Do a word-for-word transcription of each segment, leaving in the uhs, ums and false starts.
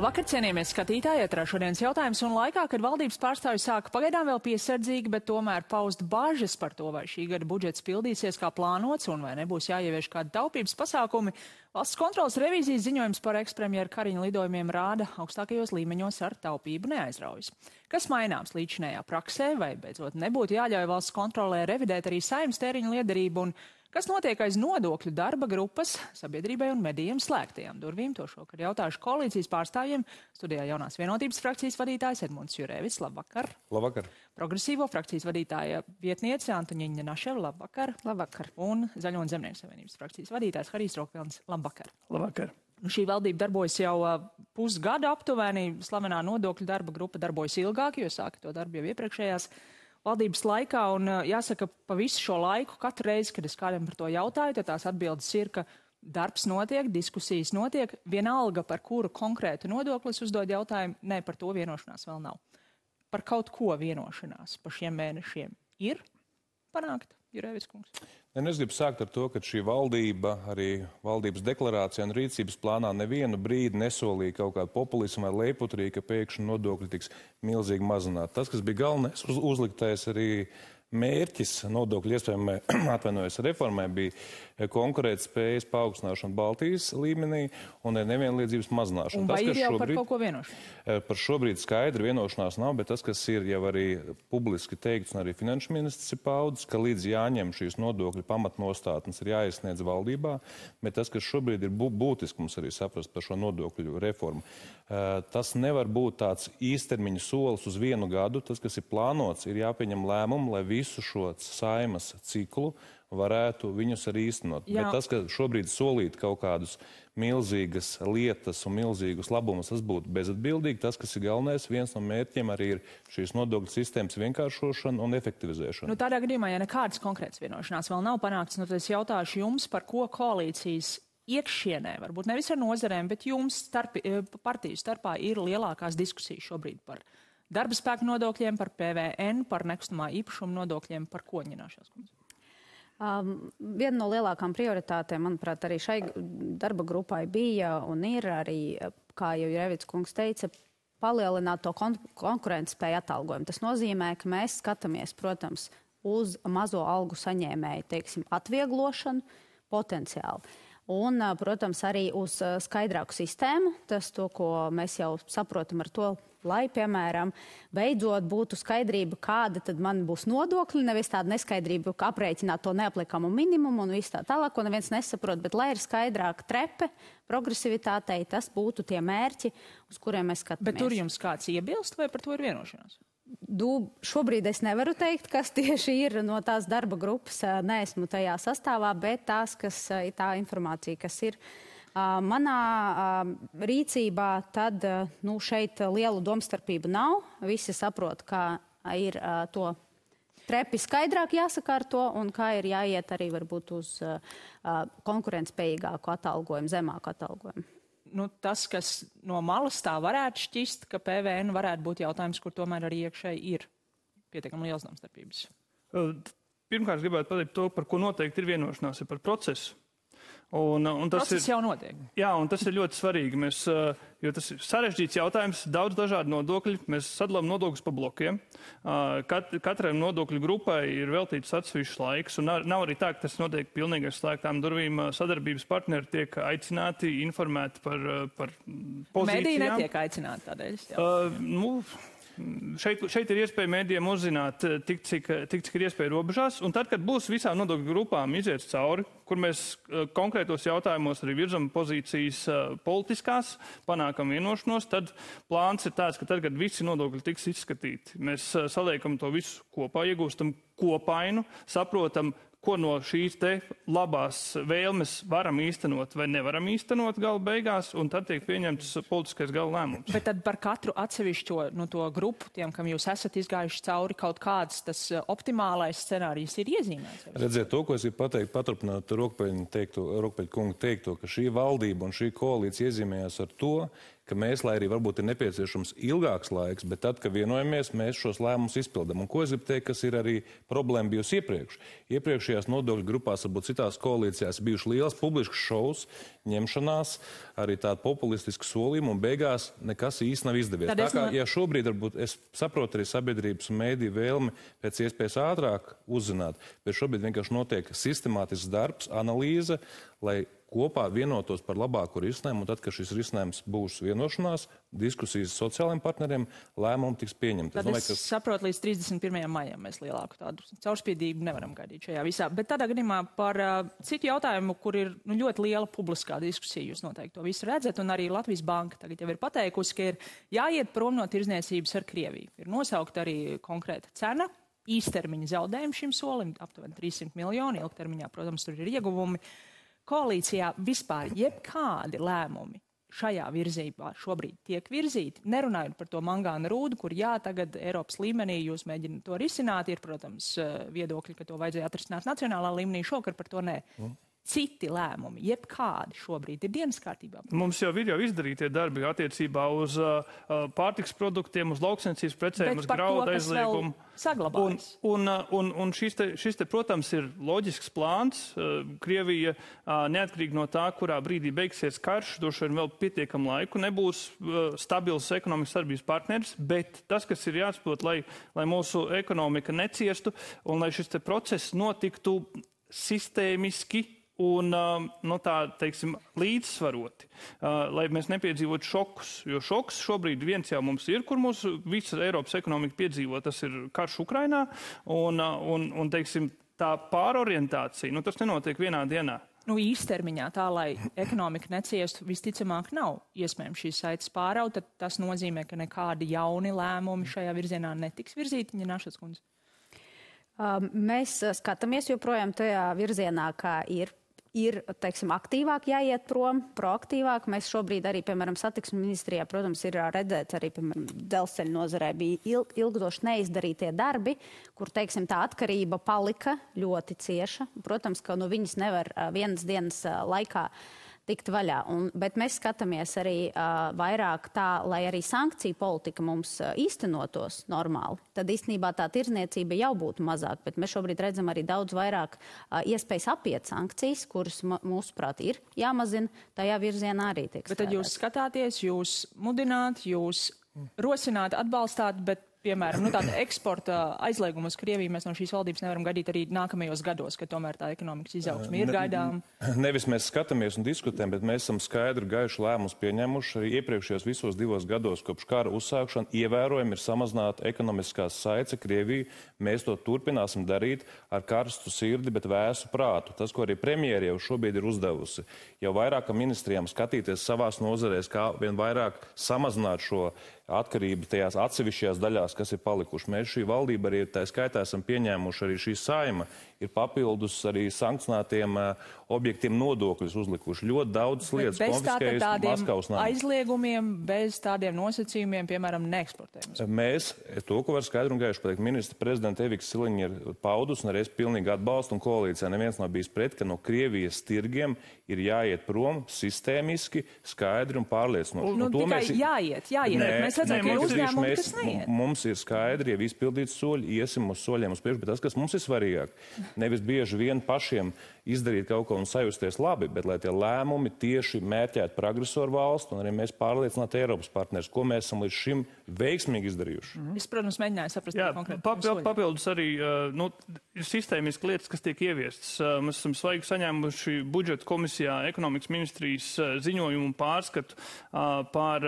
Vakar, cienījamies skatītāji, ietrā šodienas jautājums un laikā, kad valdības pārstāvji sāka pagaidām vēl piesardzīgi, bet tomēr paust bažas par to, vai šī gada budžets pildīsies kā plānots un vai nebūs jāievieš kādi taupības pasākumi. Valsts kontrolas revīzijas ziņojums par ekspremjera Kariņa lidojumiem rāda augstākajos līmeņos ar taupību neaizraujas. Kas maināms līdzinējā praksē, vai beidzot nebūtu jāļauj valsts kontrolē revidēt arī saimnes tēriņu liederību un kas notiek aiz nodokļu darba grupas sabiedrībai un medijiem slēgtajām durvīm? To šokar jautāšu koalīcijas pārstāvjiem. Studijā Jaunās vienotības frakcijas vadītājs Edmunds Jurēvis. Labvakar. Labvakar. Progresīvo frakcijas vadītāja vietniece Antoņiņa Naševa. Labvakar. Labvakar. Un Zaļo un Zemnieku savienības frakcijas vadītājs Harijs Rokvilns. Labvakar. Labvakar. Šī valdība darbojas jau pusgadu aptuveni. Slavenā nodokļu darba grupa darbojas ilgāk, jo sāka to darbu jau iepriekšējās valdības laikā, un jāsaka, pa visu šo laiku, katru reizi, kad es kādam par to jautāju, tad tās atbildes ir, ka darbs notiek, diskusijas notiek, vienalga par kuru konkrētu nodoklis uzdod jautājumu, ne, par to vienošanās vēl nav. Par kaut ko vienošanās pa šiem mēnešiem ir panākt, Jurēvis kungs? Ja es gribu sākt ar to, ka šī valdība, arī valdības deklarācijā un rīcības plānā nevienu brīdi nesolīja kaut kādu populismu vai leiputrī, ka pēkšņi nodokļi tiks milzīgi mazināti. Tas, kas bija galvenais uz, uzliktais arī mērķis nodokļu iespējamai atvainojas reformai, bija konkurētspējas paaugstināšana Baltijas līmenī un nevienlīdzības mazināšana. Un vai tas, ir jau šobrīd, par kaut ko vienošanās? Par šobrīd skaidri vienošanās nav, bet tas, kas ir jau arī publiski teikts un arī finanšu ministrs ir paudis, ka līdz jāņem šīs nodokļu pamatnostādnes ir jāiesniedz valdībā, bet tas, kas šobrīd ir būtiski mums arī saprast par šo nodokļu reformu, tas nevar būt tāds īstermiņa solis uz vienu gadu. Tas, kas ir plānots, ir jāpieņem lēmumu, lai visu šo saimas ciklu varētu viņus arī īstenot. Jā. Bet tas, ka šobrīd solīt kaut kādus milzīgas lietas un milzīgus labumus, tas būtu bezatbildīgi. Tas, kas ir galvenais, viens no mērķiem arī ir šīs nodokļu sistēmas vienkāršošana un efektivizēšana. Nu, tādā gadījumā, ja nekādas konkrētas vienošanās vēl nav panāktas, nu, tad es jautāšu jums, par ko koalīcijas iekšienē, varbūt nevis ar nozarēm, bet jums starp, partiju starpā ir lielākās diskusijas šobrīd par darba spēku nodokļiem, par P V N, par nekustamā īpašuma nodokļiem, par ko ņināšās kundze? Um, viena no lielākām prioritātēm, manuprāt, arī šai darba grupai bija un ir arī, kā jau Jurēvis kungs teica, palielināt to kon konkurences spēju atalgojumu. Tas nozīmē, ka mēs skatāmies, protams, uz mazo algu saņēmēju, teiksim, atvieglošanu potenciāli. Un, protams, arī uz skaidrāku sistēmu. Tas to, ko mēs jau saprotam ar to, lai, piemēram, beidzot būtu skaidrība, kāda tad man būs nodokļi, nevis tāda neskaidrība, ka aprēķināt to neapliekamu minimumu un viss tā tālāk, ko neviens nesaprot, bet lai ir skaidrāka trepe progresivitātei, tas būtu tie mērķi, uz kuriem mēs skatāmies. Bet tur jums kāds iebilst vai par to ir vienošanās? Du, šobrīd es nevaru teikt, kas tieši ir no tās darba grupas. Neesmu tajā sastāvā, bet tās, kas, tā informācija, kas ir manā rīcībā, tad nu, šeit lielu domstarpību nav. Visi saprot, kā ir to trepi skaidrāk jāsakārto un kā ir jāiet arī varbūt uz konkurentspējīgāku atalgojumu, zemāku atalgojumu. Nu, tas, kas no malas tā varētu šķist, ka P V N varētu būt jautājums, kur tomēr arī iekšēji ir pietiekami liels domstarpības. Pirmkārt, gribētu pateikt to, par ko noteikti ir vienošanās, ir par procesu. Un, un tas Process ir, jau notiek. Jā, un tas ir ļoti svarīgi, mēs, jo tas ir sarežģīts jautājums, daudz dažādu nodokļu, mēs sadalām nodokļus pa blokiem. Kat, katrai nodokļu grupai ir veltīts atsevišķs laiks, un nav, nav arī tā, ka tas notiek pilnīgi aiz slēgtām durvīm. Sadarbības partneri tiek aicināti, informēti par, par pozīcijām. Mediji netiek aicināti tādēļ. Uh, nu, Šeit, šeit ir iespēja mēdījiem uzzināt tik cik, tik, cik ir iespēja robežās, un tad, kad būs visām nodokļu grupām iziet cauri, kur mēs konkrētos jautājumos arī virzam pozīcijas politiskās, panākam vienošanos, tad plāns ir tāds, ka tad, kad visi nodokļi tiks izskatīti, mēs saliekam to visu kopā, iegūstam kopainu, saprotam, ko no šīs te labās vēlmes varam īstenot vai nevaram īstenot gala beigās, un tad tiek pieņemts politiskais gala lēmums. Bet tad par katru atsevišķo no to grupu, tiem, kam jūs esat izgājuši cauri, kaut kāds tas optimālais scenārijs ir iezīmēts? Redziet, to, ko es gribu pateikt, paturpināt Rokpeļa kunga teikto, ka šī valdība un šī koalīcija iezīmējās ar to, ka mēs, lai arī varbūt ir nepieciešams ilgāks laiks, bet tad, kad vienojamies, mēs šos lēmumus izpildam. Un ko es gribu teikt, kas ir arī problēma bijusi iepriekš? Iepriekšējās nodokļu grupās, varbūt citās koalīcijās, bijuši liels publisks šovs, ņemšanās, arī tādi populistiski solījumi, un beigās nekas īsti nav izdevies. Tā kā, ja šobrīd, varbūt, es saprotu arī sabiedrības un mēdīju vēlmi pēc iespējas ātrāk uzzināt, bet šobrīd vienkārši notiek sistemātisks darbs, analīze, lai kopā vienotos par labāku risinājumu, un tad, kad šis risinājums būs vienošanās, diskusijas sociālajiem partneriem, lēmumi tiks pieņemti. Tad es, domāju, ka... es saprotu, līdz trīsdesmit pirmajam maijam mēs lielāku tādu caurspīdību nevaram gaidīt šajā visā. Bet tādā gadījumā par uh, citu jautājumu, kur ir nu, ļoti liela publiskā diskusija, jūs noteikti to visu redzat, un arī Latvijas Banka tagad jau ir pateikusi, ka ir jāiet prom no tirdzniecības ar Krieviju. Ir nosaukta arī konkrēta cena, īstermiņa zaudējumi šim solim, aptuveni trīssimt miljoni, ilgtermiņā, protams, tur ir ieguvumi. Koalīcijā vispār jebkādi lēmumi šajā virzībā šobrīd tiek virzīti, nerunājot par to mangāna rūdu, kur jā, tagad Eiropas līmenī jūs mēģināt to risināt, ir, protams, viedokļi, ka to vajadzēja atrisināt nacionālā līmenī, šokar par to nē. Mm. Citi lēmumi, jebkādi šobrīd ir dienas kārtībā. Mums jau ir jau izdarītie darbi attiecībā uz uh, pārtiks produktiem, uz lauksainicības precēm, uz graudu aizliegumu. Saglabājas. Un, un, un, un šis, te, šis te, protams, ir loģisks plāns. Uh, Krievija, uh, neatkarīgi no tā, kurā brīdī beigsies karš, droši vien vēl pietiekam laiku, nebūs uh, stabils ekonomikas sadarbības partneris, bet tas, kas ir jāsaprot, lai, lai mūsu ekonomika neciestu un lai šis te process notiktu sistēmiski un no tā, teiksim, līdzsvaroti, lai mēs nepiedzīvotu šokus. Jo šoks šobrīd viens jau mums ir, kur mūsu visa Eiropas ekonomika piedzīvo, tas ir karš Ukrainā, un, un, un teiksim, tā pārorientācija, nu tas nenotiek vienā dienā. Nu, īstermiņā tā, lai ekonomika neciestu, visticamāk nav iespējams šīs saites pāraut, tad tas nozīmē, ka nekādi jauni lēmumi šajā virzienā netiks virzīti, Ņinašas kundze. Um, mēs skatāmies joprojām tajā virzienā, kā ir. Ir, teiksim, aktīvāk jāiet prom, proaktīvāk. Mēs šobrīd arī, piemēram, satiksmes ministrijā, protams, ir redzēts arī, piemēram, dzelzceļa nozarē bija ilg, ilgstoši neizdarītie darbi, kur, teiksim, tā atkarība palika ļoti cieša. Protams, ka no viņas nevar vienas dienas laikā tikt vaļā. Un, bet mēs skatāmies arī uh, vairāk tā, lai arī sankciju politika mums uh, īstenotos normāli. Tad īstenībā tā tirdzniecība jau būtu mazāk, bet mēs šobrīd redzam arī daudz vairāk uh, iespējas apiet sankcijas, kuras mūsuprāt ir jāmazina, tajā virzienā arī tiek strādāt. Bet tad jūs skatāties, jūs mudināt, jūs rosināt, atbalstāt, bet piemēram, nu, tāda eksporta aizlieguma uz Krieviju mēs no šīs valdības nevaram gaidīt arī nākamajos gados, kad tomēr tā ekonomikas izaugsme ir gaidām. Nevis mēs skatāmies un diskutējam, bet mēs esam skaidri gaišu lēmumus pieņemuši. Arī iepriekšējos visos divos gados, kopš kara uzsākšana, ievērojami ir samazināta ekonomiskās saites Krieviju. Mēs to turpināsim darīt ar karstu sirdi, bet vēsu prātu. Tas, ko arī premjeri jau šobrīd ir uzdevusi, jau vairākam ministrijām skatīties savās nozarēs, kā vien vairāk samazināt šo atkarību tajās atsevišķajās daļās, kas ir palikuši. Mēs šī valdība arī tā skaitā esam pieņēmuši, arī šī saima ir papildus arī sankcionētiem uh, objektiem nodokļus uzlikuši. Ļoti daudz lietas konfiskējas Maskavas nama. Aizliegumiem, bez tādiem nosacījumiem, piemēram, neeksportējums. Mēs, to, ko var skaidru un gaišu pateikt, ministra prezidenta Evika Siliņa ir paudus, un arī es pilnīgi atbalstu, un koalīcijā neviens nav bijis pret, ka no Krievijas tirgiem ir jāiet prom sistēmiski, skaidri un pārliecinoši. Nu, tikai mēs... jāiet, jāiet. Nē, mēs redzam, ka ir uzņēmumi, kas neiet. Mums ir skaidri, ja izpildīts soļi, iesim uz soļiem uz priekšu, bet tas, kas mums ir svarīgāk, nevis bieži vien pašiem izdarīt kaut ko un sajusties labi, bet lai tie lēmumi tieši mērķētu par agresoru valstu un arī mēs pārliecinātu Eiropas partnerus, ko mēs esam līdz šim veiksmīgi izdarījuši. Mm-hmm. Es, protams, mēģināju saprast. Jā, papild, papildus arī nu, ir sistēmiski lietas, kas tiek ieviestas. Mēs esam svaigi saņēmuši budžeta komisijā ekonomikas ministrijas ziņojumu un pārskatu par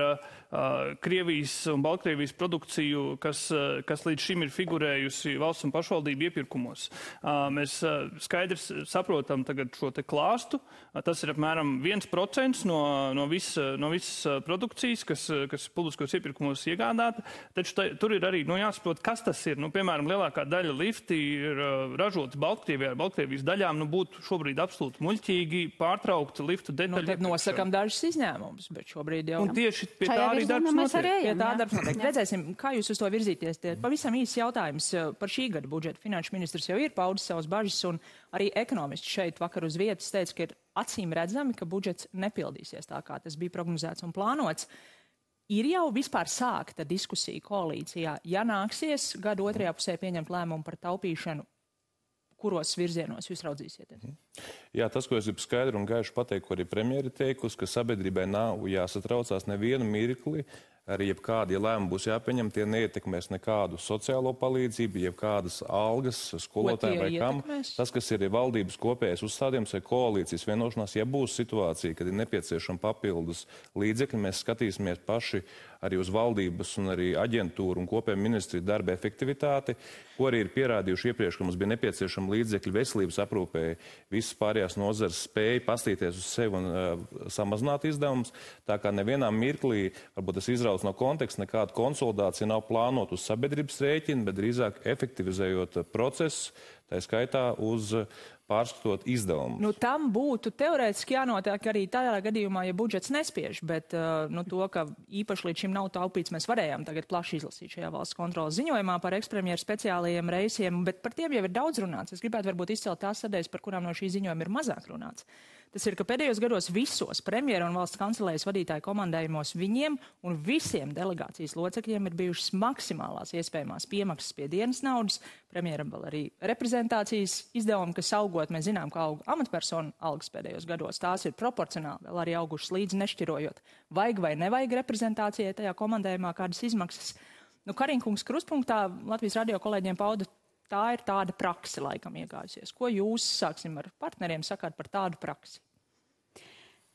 Krievijas un Baltkrievijas produkciju, kas, kas līdz šim ir figurējusi valsts un pašvaldību iepirkumos. Mēs skaidrs saprotam tagad šo te klāstu. Tas ir apmēram viens procents no, no visas no vis produkcijas, kas, kas publiskos iepirkumos iegādāta. Taču tā, tur ir arī nu, jāsaprot, kas tas ir. Nu, piemēram, lielākā daļa lifti ir ražotas Baltkrievijā ar Baltkrievijas daļām. Nu, būtu šobrīd absolūti muļķīgi pārtraukt liftu detaļu. Nu, tad nosakam dažus izņēmumus, bet šobrīd jau... Un tieši pie tā arī darbs notiek. Pie tā darbs notiek. Redzēsim, kā jūs uz to virzīties. Tie pavisam īsts jautājums par šī gada budžetu. Finanšu ministrs jau ir paudis savas bažas, un arī ekonomisti šeit vakar uz vietas teica, ka ir acīm redzami, ka budžets nepildīsies tā, kā tas bija prognozēts un plānots. Ir jau vispār sākta diskusija koalīcijā, ja nāksies gada otrajā pusē pieņemt lēmumu par taupīšanu, kuros virzienos jūs raudzīsieties? Jā, tas, ko es gribu skaidri un gaiši pateikt, ko arī premjeri teikusi, ka sabiedrībai nav jāsatraucās nevienu mirkli, arī jebkādi, ja lēmumi būs jāpieņem, tie neietekmēs nekādu sociālo palīdzību, jebkādas algas skolotājiem vai kam. Tas, kas ir valdības kopējais uzstādījums vai koalīcijas vienošanās, ja būs situācija, kad ir nepieciešama papildus līdzekļi, mēs skatīsimies paši arī uz valdības un arī aģentūru un kopēju ministriju darba efektivitāti, ko arī ir pierādījuši iepriekš, ka mums bija nepieciešama līdzekļi veselības aprūpēji, visas pārējās nozares spēja pastīties uz sevi un uh, samazināt izdevumus. Tā kā nevienā mirklī, varbūt tas izrauc no konteksta, nekāda konsolidācija nav plānot uz sabiedrības rēķina, bet drīzāk efektivizējot procesu, tā skaitā uz pārskatot izdevumus. Nu, tam būtu teorētiski jānotiek arī tādā gadījumā, ja budžets nespiež, bet uh, nu, to, ka īpaši līdz šim nav taupīts, mēs varējām tagad plaši izlasīt šajā valsts kontrolas ziņojumā par ekspremjeru speciālajiem reisiem, bet par tiem jau ir daudz runāts. Es gribētu varbūt izcelt tās sadaļas, par kurām no šī ziņojuma ir mazāk runāts. Tas ir, ka pēdējos gados visos premjera un valsts kancelējas vadītāju komandējumos viņiem un visiem delegācijas locekļiem ir bijušas maksimālās iespējamās piemaksas pie dienas naudas. Premjeram vēl arī reprezentācijas izdevumi, kas augot, mēs zinām, ka aug amatpersonu algas pēdējos gados. Tās ir proporcionāli vēl arī augušas līdzi nešķirojot. Vajag vai nevajag reprezentācijai tajā komandējumā kādas izmaksas. Nu, Kariņkungs kruspunktā Latvijas radio kolēģiem pauda, tā ir tāda prakse laikam iegājusies. Ko jūs, sāksim ar partneriem, sakāt par tādu praksi?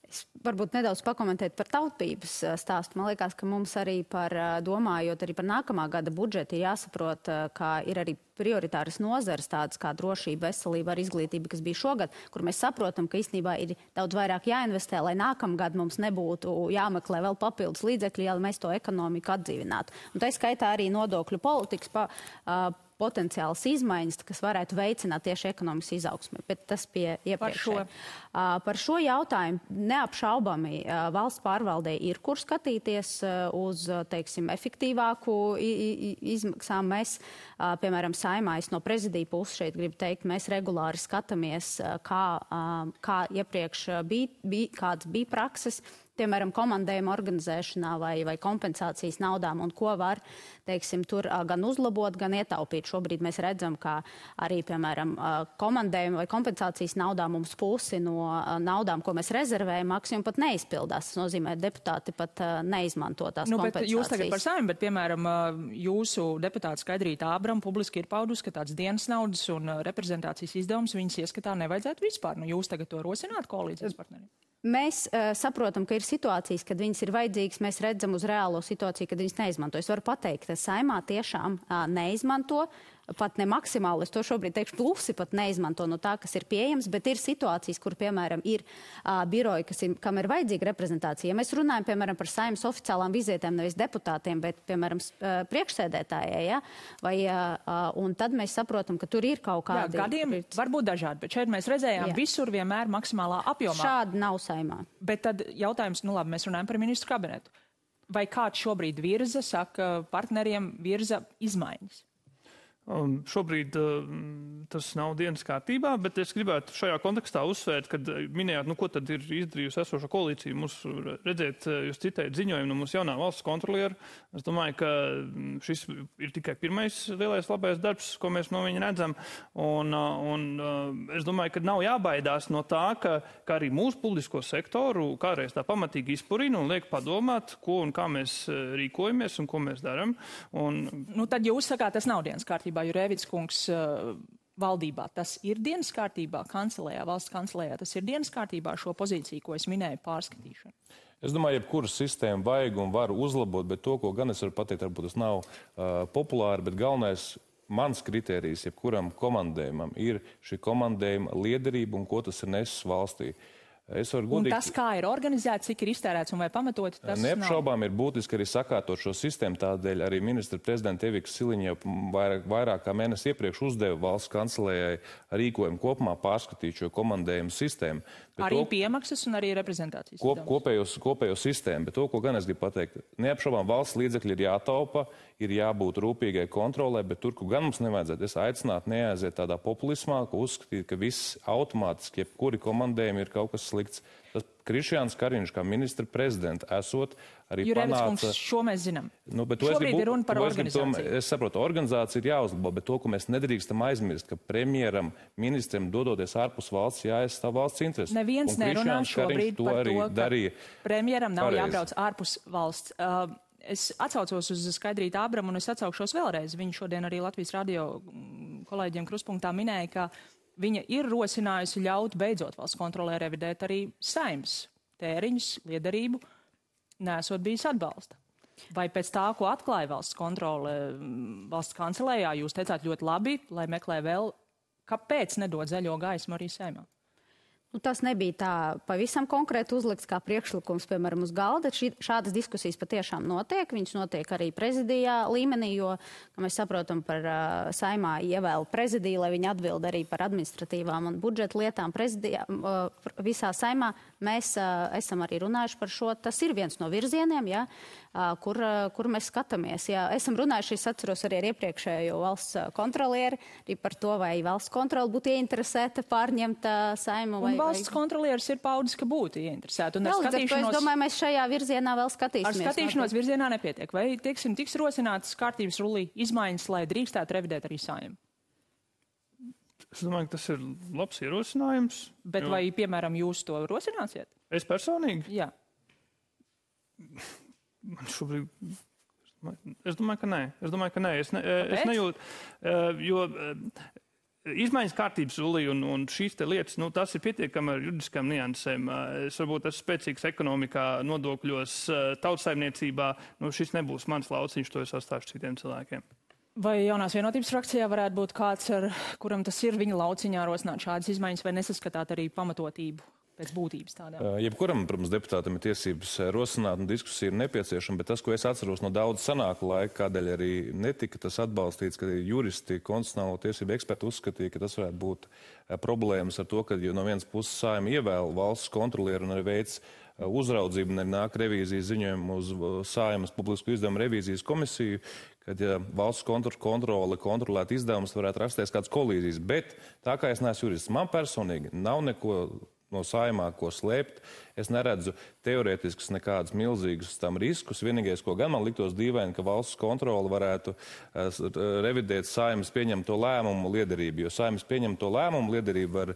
Es varbūt nedaudz pakomentēt par taupības stāstu. Man liekas, ka mums arī par, domājot arī par nākamā gada budžetu, ir jāsaprot, ka ir arī prioritāras nozares tādas kā drošība, veselība ar izglītību, kas bija šogad, kur mēs saprotam, ka īstenībā ir daudz vairāk jāinvestē, lai nākamgad mums nebūtu jāmeklē vēl papildus līdzekļi, ja mēs to ekonomiku atdzīvinātu. Un tā skaitā arī nodokļu politikas pa, uh, potenciāls izmaiņas, kas varētu veicināt tieši ekonomikas izaugsmi, bet tas pie iepriekšēji. Par šo, uh, par šo jautājumu neapšaubami uh, valsts pārvaldē ir, kur skatīties uh, uz, teiksim, efektīvāku izmaksām. Mēs, uh, piemēram, Saimā, es no prezidija puses šeit gribu teikt, mēs regulāri skatāmies, uh, kā, uh, kā iepriekš bija, bija, kāds bija prakses, piemēram, komandējuma organizēšanā vai, vai kompensācijas naudām un ko var, teiksim, tur gan uzlabot, gan ietaupīt. Šobrīd mēs redzam, ka arī, piemēram, komandējuma vai kompensācijas naudā mums pusi no naudām, ko mēs rezervējam, maksimum pat neizpildās. Tas nozīmē, deputāti pat neizmanto tās nu, kompensācijas. Jūs tagad par Saimu, bet, piemēram, jūsu deputāta Skaidrīta Ābram publiski ir paudus, ka tāds dienas naudas un reprezentācijas izdevums viņas ieskatā nevajadzētu vispār. Nu, jūs tagad to rosināt koalīcijas partneriem? Mēs uh, saprotam, ka ir situācijas, kad viņas ir vajadzīgas, mēs redzam uz reālo situāciju, kad viņas neizmanto. Es varu pateikt, ka Saimā tiešām uh, neizmanto, pat ne maksimāli, es to šobrīd teikšu, plusi pat neizmanto no tā, kas ir pieejams, bet ir situācijas, kur, piemēram, ir uh, biroji, kas ir, kam ir vajadzīga reprezentācija. Ja mēs runājam, piemēram, par Saimas oficiālām vizītēm, nevis deputātiem, bet, piemēram, uh, priekšsēdētājai, ja? Vai, uh, un tad mēs saprotam, ka tur ir kaut kādi... Jā, gadiem var būt dažādi, bet šeit mēs redzējām Jā. visur vienmēr maksimālā apjomā. Šādi nav Saimā. Bet tad jautājums, nu labi, mēs runājam par ministru kabinetu. Vai kāds šobrīd virza, saka, partneriem virza izmaiņas? Um, šobrīd uh, tas nav dienas kārtībā, bet es gribētu šajā kontekstā uzsvērt, kad minējāt, nu, ko tad ir izdarījusi esošā koalīcija. Mums redzēt, jūs citējat ziņojumu no mūsu jaunā valsts kontroliera. Es domāju, ka šis ir tikai pirmais lielais labais darbs, ko mēs no viņa redzam. Un, un es domāju, ka nav jābaidās no tā, ka, ka arī mūsu publisko sektoru kādreiz tā pamatīgi izpurina un liek padomāt, ko un kā mēs rīkojamies un ko mēs daram. Un... Nu, tad jūs sakāt, tas nav dienas kārtībā. Jurēvics kungs uh, valdībā tas ir dienas kārtībā, kancelējā, valsts kancelējā, tas ir dienas kārtībā šo pozīciju, ko es minēju, pārskatīšanu. Es domāju, jebkuru sistēmu vajag un var uzlabot, bet to, ko gan es varu pateikt, varbūt tas nav uh, populāri, bet galvenais mans kritērijs jebkuram komandējumam ir šī komandējuma liederība un ko tas ir nesis valstī. Godīgi... Un tas, kā ir organizēts, cik ir iztērēts un vai pamatoti, tas neapšaubām ir būtiski arī sakārtot šo sistēmu. Tādēļ arī ministra prezidenta Evika Siliņa jau vairāk, vairāk kā mēnesi iepriekš uzdeva valsts kancelējai rīkojumu kopumā pārskatīt šo komandējumu sistēmu. Bet arī to, piemaksas un arī reprezentācijas. Kop, kopējo, kopējo sistēmu. Bet to, ko gan es gribu pateikt, neapšaubām valsts līdzekļi ir jātaupa, ir jābūt rūpīgai kontrolē, bet tur, kur gan mums nevajadzētu, es aicinātu neaiziet tādā populismā, ka uzskatīt, ka viss automātiski, jebkuri komandējumi ir kaut kas slikts. Tas Krišjāns Kariņš kā ministra prezidenta esot arī Jurēvics panāca... kungs, šo mēs zinām. Nu, Šobrīd gribu, ir runa par organizāciju. To, es saprotu, organizācija ir jāuzlabo, bet to, ko mēs nedrīkstam aizmirst, ka premjeram, ministram dodoties ārpus valsts, jāaizstāv valsts intereses. Neviens nerunā šobrīd to par to, ka darīja premjeram nav pareizi. Jābrauc ārpus valsts. Uh, es atsaucos uz Skaidrītu Ābramu un es atsaukšos vēlreiz. Viņa šodien arī Latvijas radio kolēģiem Kruspunktā minēja, ka viņa ir rosinājusi ļaut beidzot valsts kontrolē revidēt arī Saeimas tēriņus, liederību, nesot bijis atbalsta. Vai pēc tā, ko atklāja valsts kontrole valsts kancelējā, jūs teicāt ļoti labi, lai meklē vēl, kāpēc nedod zaļo gaismu arī Saeimā? Nu, tas nebija tā pavisam konkrēti uzlikts kā priekšlikums, piemēram, uz galda. Ši, šādas diskusijas patiešām notiek. Viņas notiek arī prezidijā līmenī, jo, kā mēs saprotam, par uh, Saeimā ievēlu prezidiju, lai viņi atbild arī par administratīvām un budžeta lietām prezidijā. Uh, visā Saeimā mēs uh, esam arī runājuši par šo. Tas ir viens no virzieniem, ja, uh, kur, uh, kur mēs skatāmies. Ja. Esam runājuši, es atceros arī ar iepriekšējo valsts kontrolieri, arī par to, vai valsts kontroli būtu ieinteresēta pārņemt uh, Saeimu. Vai, valsts kontrolieris ir paudis, ka būtu ieinteresēti. Un ar Vēl, skatīšanos, es domāju, mēs šajā virzienā vēl skatīsimies. Ar skatīšanos virzienā nepietiek. Vai, tieksim, tiks rosinātas kārtības rullī izmaiņas, lai drīkstētu revidēt arī Saeimu? Es domāju, ka tas ir labs ierosinājums. Bet jo... vai, piemēram, jūs to rosināsiet? Es personīgi? Jā. Man šobrīd... Es domāju, ka nē. Es domāju, ka nē. Es, ne, es nejūtu, jo... Izmaiņas kārtības rullī un, un šīs te lietas, nu, tas ir pietiekami ar juridiskām niansēm. Es varbūt esmu spēcīgs ekonomikā, nodokļos, tautsaimniecībā. Nu, šis nebūs mans lauciņš, to es atstāšu citiem cilvēkiem. Vai jaunās vienotības frakcijā varētu būt kāds, ar kuram tas ir viņa lauciņā rosināt šādas izmaiņas, vai nesaskatāt arī pamatotību pēc būtības tādā? Jebkuram, protams, deputātam ir tiesības rosināt un diskusija ir nepieciešama, bet tas, ko es atceros no daudz sanāku laika, kādēļ arī netika tas atbalstīts, ka juristi, konstitucionālo tiesību eksperti uzskatīja, ka tas varētu būt problēmas ar to, ka no vienas puses Saeima ievēl valsts kontrolieru un arī veids uzraudzību un arī nāk revīzijas ziņojumu uz Saeimas publisku izdevumu revīzijas komisiju, kad ja valsts kontrole kontrolēt izdevumus, varētu rasties kāds kolīzijas. Bet tā kā es neesmu jurists, man personīgi nav neko no Saeimā, ko slēpt. Es neredzu teorētiskus nekādus milzīgus tam riskus. Vienīgais, ko gan man liktos dīvaini, ka valsts kontrole varētu uh, revidēt Saeimas pieņemto lēmumu liederību, jo Saeimas pieņemto lēmumu liederību var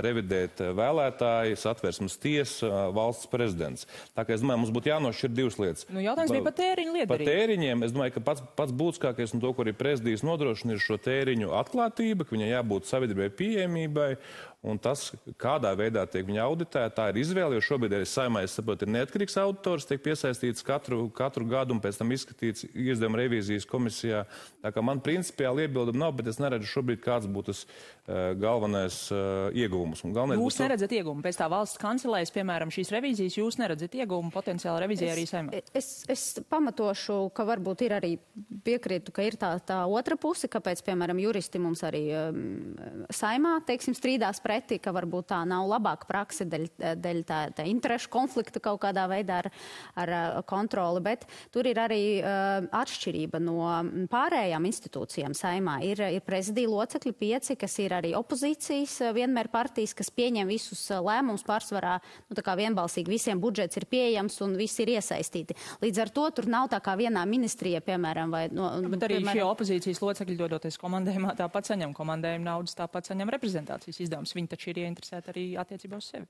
revidēt vēlētāji, Satversmes tiesa, uh, valsts prezidents. Tā kā es domāju, mums būtu jānošķir divas lietas. Nu, jautājums bija par tēriņu liederību. Par tēriņiem, es domāju, ka pats, pats būtiskākais un to, ko arī prezidijas nodrošina, ir šo tēriņu atklātība, ka viņai jābūt sabiedrībai pieejamībai. Un tas, kādā veidā tiek viņa auditēta, tā ir izvēle, jo šobrīd arī Saeimā, es saprotu, ir neatkarīgs auditors, tiek piesaistīts katru, katru gadu un pēc tam izskatīts izdevuma revīzijas komisijā. Tā kā man principiāli iebildumi nav, bet es neredzu šobrīd, kāds būtu tas uh, galvenais uh, ieguvums. Galvenais jūs neredzat ieguvumu pēc tā valsts kancelējas, piemēram, šīs revīzijas, jūs neredzat ieguvumu potenciāli revīzijai arī Saeimā? Es, es pamatošu, ka varbūt ir arī piekrītu, ka ir tā, tā otra puse, kāpēc, piemēram, juristi mums arī um, Saeimā, teiksim, strīdās pretī, ka varbūt tā nav labāka prakse dēļ, dēļ tā, tā interešu konflikta kaut kādā veidā ar, ar kontroli, bet tur ir arī uh, atšķirība no pārējām institūcijām Saeimā. Ir, ir prezidija locekļi pieci, kas ir arī opozīcijas, vienmēr partijas, kas pieņem visus lēmumus pārsvarā, nu tā kā vienbalsīgi visiem budžets ir pieejams un visi ir iesaistīti. Līdz ar to tur nav tā kā vienā ministrijā, piemēram, vai... No, bet arī piemēram, šie opozīcijas locekļi dodoties komandējumā, tāpat saņem komandējumu naudas, tāpat saņem reprezentācijas izdevumus. Viņi taču ir ieinteresēti arī attiecībā uz sevi.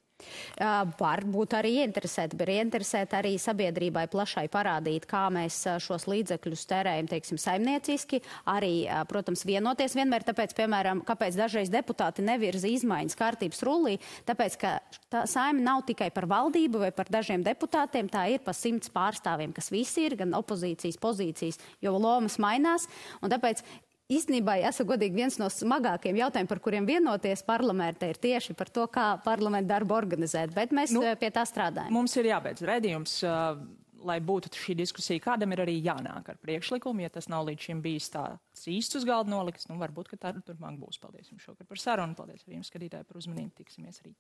Uh, var būt arī ieinteresēti, bet ieinteresēti arī sabiedrībai plašai parādīt, kā mēs šos līdzekļus tērējam, teiksim, saimnieciski, arī, uh, protams, vienoties vienmēr, tāpēc, piemēram, kāpēc dažreiz deputāti nevirza izmaiņas kārtības rullī, tāpēc, ka tā Saeima nav tikai par valdību vai par dažiem deputātiem, tā ir pa simts pārstāvjiem, kas visi ir, gan opozīcijas pozīcijas, jo lomas mainās, un tāpēc īstenībā, jāsaka godīgi, viens no smagākiem jautājumiem, par kuriem vienoties parlamentā, ir tieši par to, kā parlamenta darbu organizēt. Bet mēs nu, pie tā strādājam. Mums ir jābeidz redzījums, uh, lai būtu šī diskusija. Kādam ir arī jānāk ar priekšlikumu, ja tas nav līdz šim bijis tāds īsts uz galda noliks. Nu, varbūt, ka tā turpmāk būs. Paldies jums šokar par sarunu. Paldies arī jums, skatītāji, par uzmanību. Tiksimies rīt.